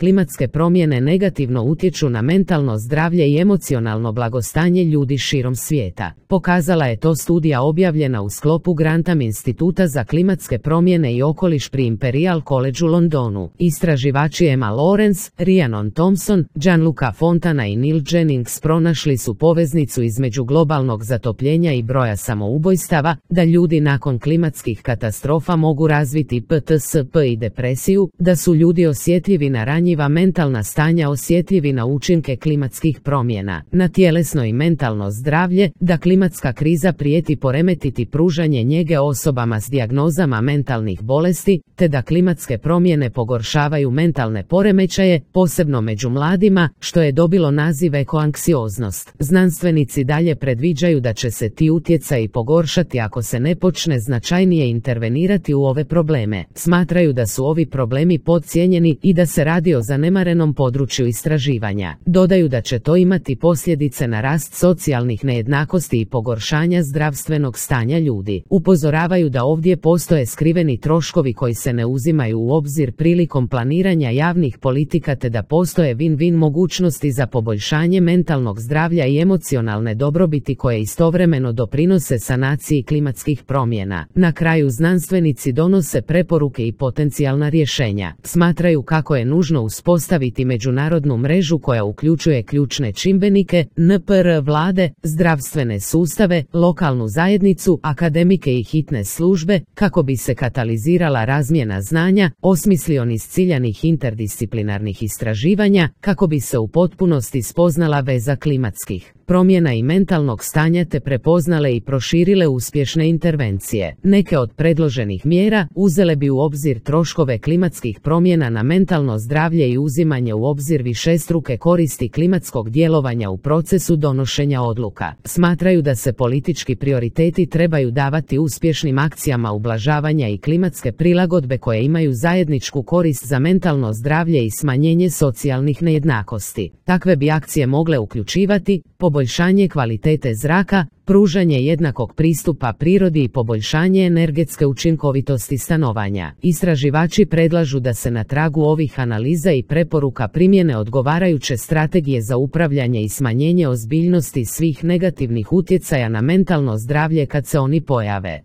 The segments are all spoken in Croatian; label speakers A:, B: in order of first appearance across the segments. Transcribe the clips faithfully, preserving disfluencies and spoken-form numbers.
A: klimatske promjene negativno utječu na mentalno zdravlje i emocionalno blagostanje ljudi širom svijeta. Pokazala je to studija objavljena u sklopu Grantham instituta za klimatske promjene i okoliš pri Imperial College u Londonu. Istraživači Emma Lawrence, Rhiannon Thompson, Gianluca Fontana i Neil Jennings pronašli su poveznicu između globalnog zatopljenja i broja samoubojstava, da ljudi nakon klimatskih katastrofa mogu razviti P T S P i depresiju, da su ljudi osjetljivi na ranjiva mentalna stanja, osjetljivi na učinke klimatskih promjena, na tjelesno i mentalno zdravlje, da klimatska kriza prijeti poremetiti pružanje njege osobama s dijagnozama mentalnih bolesti, te da klimatske promjene pogoršavaju mentalne poremećaje, posebno među mladima, što je dobilo naziv ekoanksioznost. Znanstvenici dalje predviđaju da će se ti utjecaji pogoršati ako se ne počne značajnije intervenirati u ove probleme. Smatraju da su ovi problemi podcijenjeni i da se radi o zanemarenom području istraživanja. Dodaju da će to imati posljedice na rast socijalnih nejednakosti i pogoršanja zdravstvenog stanja ljudi. Upozoravaju da ovdje postoje skriveni troškovi koji se ne uzimaju u obzir prilikom planiranja javnih politika, te da postoje win-win mogućnosti za poboljšanje mentalnog zdravlja i emocionalne dobrobiti koje istovremeno doprinose sanaciji klimatskih promjena. Na kraju znanstvenici donose preporuke i potencijalna rješenja. Smatraju kako je nužno uspostaviti međunarodnu mrežu koja uključuje ključne čimbenike, N P R, vlade, zdravstvene sustave, lokalnu zajednicu, akademike i hitne službe, kako bi se katalizirala razmjena znanja, osmislio niz ciljanih interdisciplinarnih istraživanja, kako bi se u potpunosti spoznala veza klimatskih promjena i mentalnog stanja te prepoznale i proširile uspješne intervencije. Neke od predloženih mjera uzele bi u obzir troškove klimatskih promjena na mentalno zdravlje i uzimanje u obzir višestruke koristi klimatskog djelovanja u procesu donošenja odluka. Smatraju da se politički prioriteti trebaju davati uspješnim akcijama ublažavanja i klimatske prilagodbe koje imaju zajedničku korist za mentalno zdravlje i smanjenje socijalnih nejednakosti. Takve bi akcije mogle uključivati poboljšanje kvalitete zraka, pružanje jednakog pristupa prirodi i poboljšanje energetske učinkovitosti stanovanja. Istraživači predlažu da se na tragu ovih analiza i preporuka primjene odgovarajuće strategije za upravljanje i smanjenje ozbiljnosti svih negativnih utjecaja na mentalno zdravlje kad se oni pojave.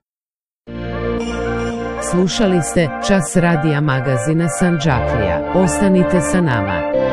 A: Slušali ste Čas radija magazina Sandžaklija. Ostanite sa nama.